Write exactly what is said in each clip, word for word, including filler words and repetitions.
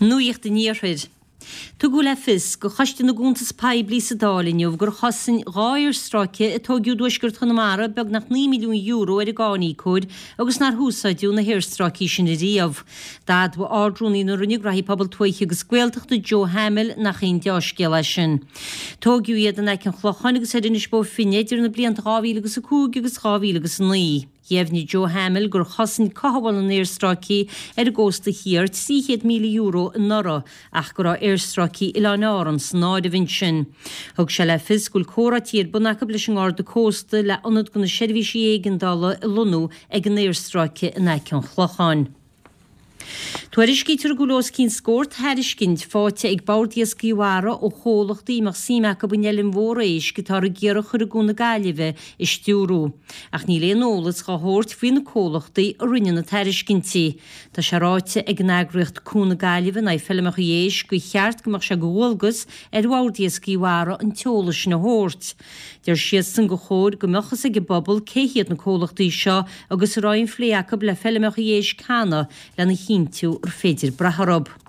Nuacht an Iarthair. Tugadh le fios go Choiste na gCuntas Poiblí sa Dáil inniu gur chosain dhá aerstráice a tógadh i dtuaisceart Chonamara beagnach naoi milliún euro ar an gcáiníocóir agus nár húsáideadh na haerstráicí sin ariamh. D'admhaigh Ard-Rúnaí na Roinne Gnóthaí Pobail Tuaithe agus Gaeltachta Joe Hamill nach aon deá-scéal é sin. Tógadh iad in aice an Chlocháin agus ar Inis Bó Finne idir na blianta dhá mhíle agus a cúig agus dhá mhíle agus a naoi. Dheimhnigh Joe Hamill gur chosain cothabháil na n-aerstráicí ar an gcósta thiar trí chéad míle euro anuraidh ach go raibh aerstráicí Oileáin Árann san áireamh ansin. Thug sé le fios go bhfuil comhráití ar bun acu leis an nGarda Cósta le ionad do na seirbhísí éigeandála a lonnú ag an aerstráice in aice an Chlocháin. Tuairiscítear go bhfuil os cionn scór tairiscint faighte ag Bord Iascaigh Mhara ó chomhlachtaí a mbeadh suim acu an fheilm mhór éisc atá ag iarraidh a chur i gCuan na Gaillimhe a stiúradh. Ach níl aon eolas dhá thabhairt faoi na comhlachtaí a rinne na tairiscintí. Tá sé ráite ag an eagraíocht Cuan na Gaillimhe in aghaidh Feilmeacha Éisc gur cheart go mbeadh sé de dhualgas ar Bhord Iascaigh Mhara an t-eolas sin a thabhairt. Deir siadsan gur chóir go mbeadh fhios ag an bpobal cé hiad na comhlachtaí seo agus a raibh aon phlé acu le feilmeacha éisc cheana lena chinntiú gur féidir brath orthu.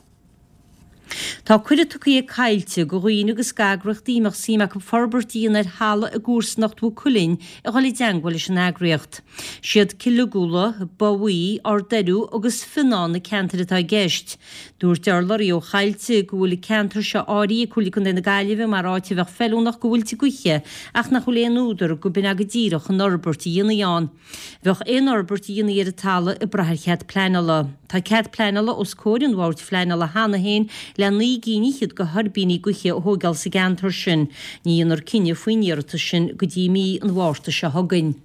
Tá cuireadh tugtha ag Coillte go dhaoine agus d'eagraíochtaí a mbeadh suim acu forbairt a dhéanamh ar thalamh i gcomharsanacht Mhaigh Cuilinn a dhul i dteangmháil leis an eagraíocht. Siad Cill Uguala, Both Bhuí, Ard Eiriú agus Fionnán na ceantair atá i gceist. Dúirt urlabhraí ó Choillte go bhfuil an ceantar seo áirithe ag Comhairle Contae na Gaillimhe mar áit a bheadh feiliúnach go mhuilte gaoithe ach nach bhfuil aon údar go b'in go díreach an fhorbairt a dhéanfaí ann. Bheadh aon fhorbairt a dhéanfaí ar an talamh ag brath ar chead pleanála. Tá cead pleanála os comhair an bhoird phleanála cheana féin le naoi gcinn fhichead de thuirbíní gaoithe a thógáil sa gceantar sin. Ní dhéanfar cinneadh faoin iarratas sin go dtí mí an Mhárta seo chugainn.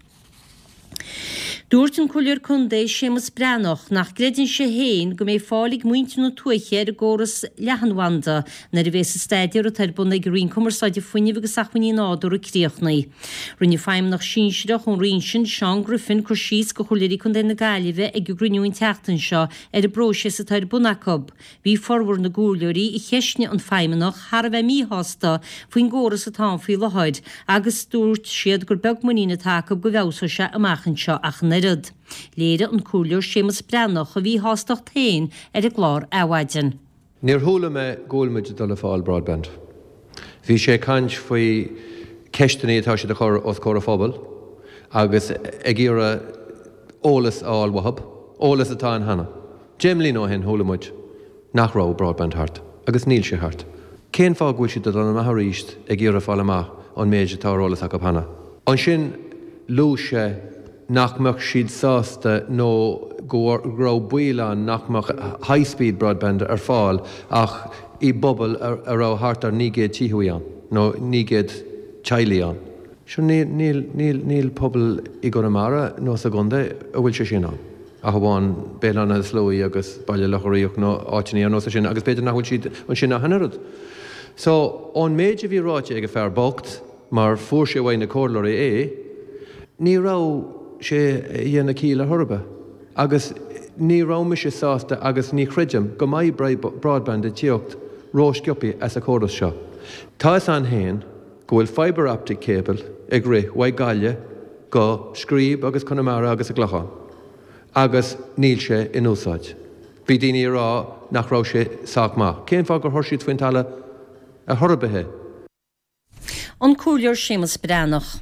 Dúirt an Comhairleoir Contae Séamus Breathnach nach gcreideann sé féin go mbeidh fáil ag muintir na tuaithe ar an gcóras leathanbhanda nuair a bheas an staidéar atá ar bun ag an Roinn Cumarsáide Fuinnimh agus Acmhainní Nádúrtha críochnaithe. Rinne Feidhmeannach Sinsearach ón Roinn sin, Seán Griffin, cur síos go Chomhairleoirí Contae na Gaillimhe ag an gcruinniú an tseachtain seo ar an bpróiseas atá ar bun acu. Bhí formhór na gcomhairleoirí a cheistnigh an Feidhmeannach thar a bheith míshásta faoin gcóras atá ann faoi láthair agus dúirt siad gur beag muinín atá acu go bhfeabhsóidh sé amach anseo ach an oiread. Léirigh an Comhairleoir Séamus Breathnach a mhíshástacht féin ar an gclár Adhmhaidin. Níor chuala mé go bhfuil muid ag dul a fáil broadband. Bhí sé ag caint faoi ceisteanna atá siad a chur os comhair an phobail agus ag iarraidh eolas a fháil uathu, eolas atá ann cheana. Deich mbliana ó shin chuala muid nach raibh broadband thart agus níl sé thart. Cén fáth go bhfuil siad ag dul amach arís ag iarraidh fáil amach an méid atá ar eolas acu cheana. Ansin luaigh sé nach mbeadh siad sásta nó go raibh baol ann nach mbeadh high-speed broadband ar fáil ach i bpobal a raibh thart ar naoi gcéad tithe ann nó naoi gcéad teaghlaigh ann. Sure níl, níl, níl, níl pobal i gConamara nó sa gcontae a bhfuil sé sin ann. Ach amháin Béal Átha na Sluaighe agus Baile Locha Riach nó áiteanna ar nós sin agus b'fhéidir nach bhfuil siad ansin ach an oiread. So ón méid a bhí ráite ag an fear bocht mar fuair sé uaidh na comhairleoirí é, ní raibh sé a dhéanamh ciall ar chor ar bith. Agus ní raibh mise sásta agus ní chreidim go mbeidh broadband ag tíocht rósciobtha as an chóras seo. Tá fhios againn féin go bhfuil fibre optic cable ag rith uaidh Gaillimh go Scríb agus Conamara agus an Clochán agus níl sé in úsáid. Bhí daoine ag rá nach raibh sé sách maith. Cén fáth gur chuir siad faoin talamh ar chor ar bith é? An Comhairleoir Séamus Breathnach.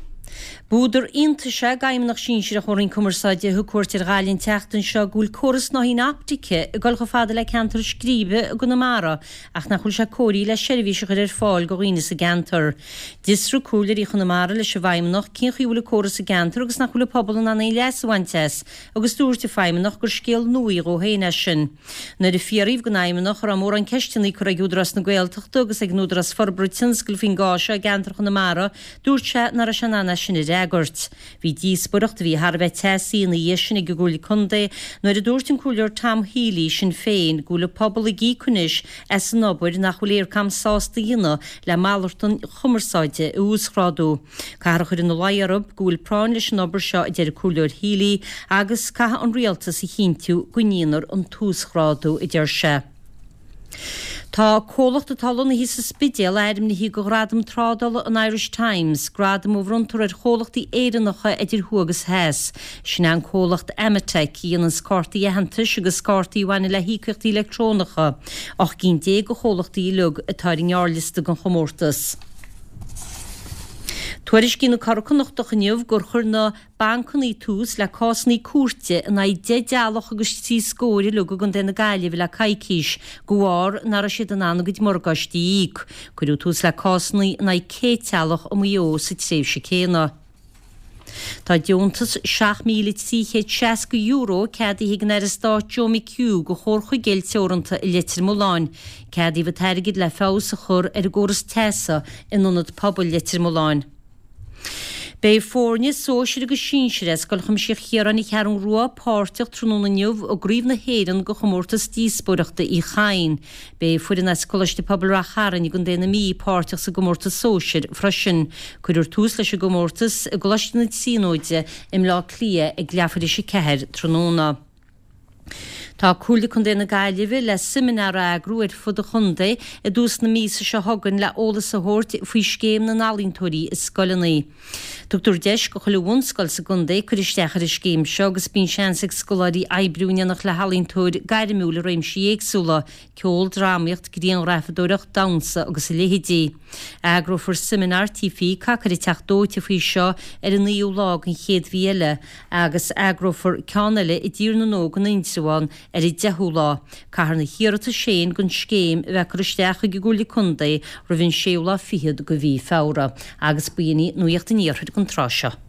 B'údar iontais é d'Fheidhmeannach Sinsearach ón Roinn Cumarsáide a thug cuairt ar Ghaillimh an tseachtain seo go bhfuil córas snáithín optaice ag dul chomh fada le ceantar Scríbe i gConamara ach nach bhfuil sé cóirithe le seirbhís a chur ar fáil do dhaoine sa gceantar. D'fhiosraigh comhairleoirí Chonamara leis an bhFeidhmeannach cén chaoi a bhfuil an córas sa gceantar agus nach bhfuil an pobal in ann aon leas a bhaint as agus dúirt an Feidhmeannach gur scéal nua dhó féin é sin. Nuair a fiafraíodh den Fheidhmeannach an raibh mórán ceisteanna curtha ag Údarás na Gaeltachta agus ag an Údarás Forbartha Tionscail faoin gcás seo i gceantar Chonamara, dúirt sé nach raibh sé in ann é sin a fhreagairt. Bhí díospóireacht a bhí thar a bheith teasaí ina dhiaidh sin ag an gComhairle Contae nuair a dúirt an Comhairleoir Tom Healy, Sinn Féin, go bhfuil an pobal ag íoc anois as an obair nach bhfuil Eircom sásta a dhéanamh le malartán chumarsáide a uasghrádú. Caithfear a chur ina luí orthu go bhfuil práinn leis an obair seo, a deir an Comhairleoir Healy, agus caithfidh an rialtas a chinntiú go ndéanfar an t-uasghrádú, a deir sé. Tá comhlacht atá lonnaithe sa Spidéal ainmnithe do Ghradam Trádála an Irish Times, gradam a bhronntar ar chomhlachtaí Éireannacha idir thuaidh agus theas. Sin é an comhlacht Amatec, a dhéananns cártaí aitheantais agus cártaí a bhaineann le híocaíochtaí leictreonacha. Ocht gcinn déag de chomhlachtaí uilig atá ar an ngearrliosta don chomórtas. Tuairiscíonn an Curadh Connachtach inniu gur chuir na bancanna tús le cásanna cúirte in aghaidh deich dteaghlach agus trí scór uilig i gContae na Gaillimhe le coicís, de bharr nach raibh siad in ann a gcuid morgáistí a íoc. Cuireadh tús le cásanna in aghaidh céad teaghlach i Maigh Eo sa tréimhse céanna. Tá deontas seacht míle trí chéad seasca euro ceadaithe ag an Aire Stáit Joe McHugh do Chomhar Chuigéil Teoranta i Leitir Mealláin. Ceadaíodh an t-airgead le feabhas a chur ar an gcóras teasa in Ionad Pobail Leitir Mealláin. Beidh foirne sóisir agus sinsir as Scoil Chuimsitheach Chiaráin an Cheathrú Rua páirteach tráthnóna inniu i gCraobh na hÉireann de chomórtas díospóireachta Uí Chadhain. Beidh foireann as Coláiste Pobail Rath Chairn i gContae na Mí páirteach sa gcomórtas sóisir freisin. Cuirfear tús leis an gcomórtas i gColáiste na Tríonóide i mBleá Cliath ag leathuair tar éis a ceathair tráthnóna. Tá Comhairle Contae na Gaillimhe le seimineár a eagrú ar fud an chontae i dtús na míosa seo chugainn le eolas a thabhairt faoi Scéim na nEalaíontóirí i Scoileanna. Tugtar deis go chuile bhunscoil sa gcontae cur isteach ar an scéim seo agus bíonn seans ag scoláirí oibriú in éineacht le healaíontóir gairmiúil i réimsí éagsúla, ceol, drámaíocht, grianghrafadóireacht, damhsa agus a leithéidí. Eagrófar seimineár Tí Peacock ar an Teach Dóite faoi seo ar an naoú lá den chéad mhí eile agus eagrófar ceann eile i dTír na nÓg in Indreabhán ar an deichiú lá. Caithfear na hiarratais féin don scéim a bheith curtha isteach chuig an gComhairle Contae roimh an séú lá fichead de mhí Feabhra. Agus b'in í Nuacht an Iarthair don tráth seo.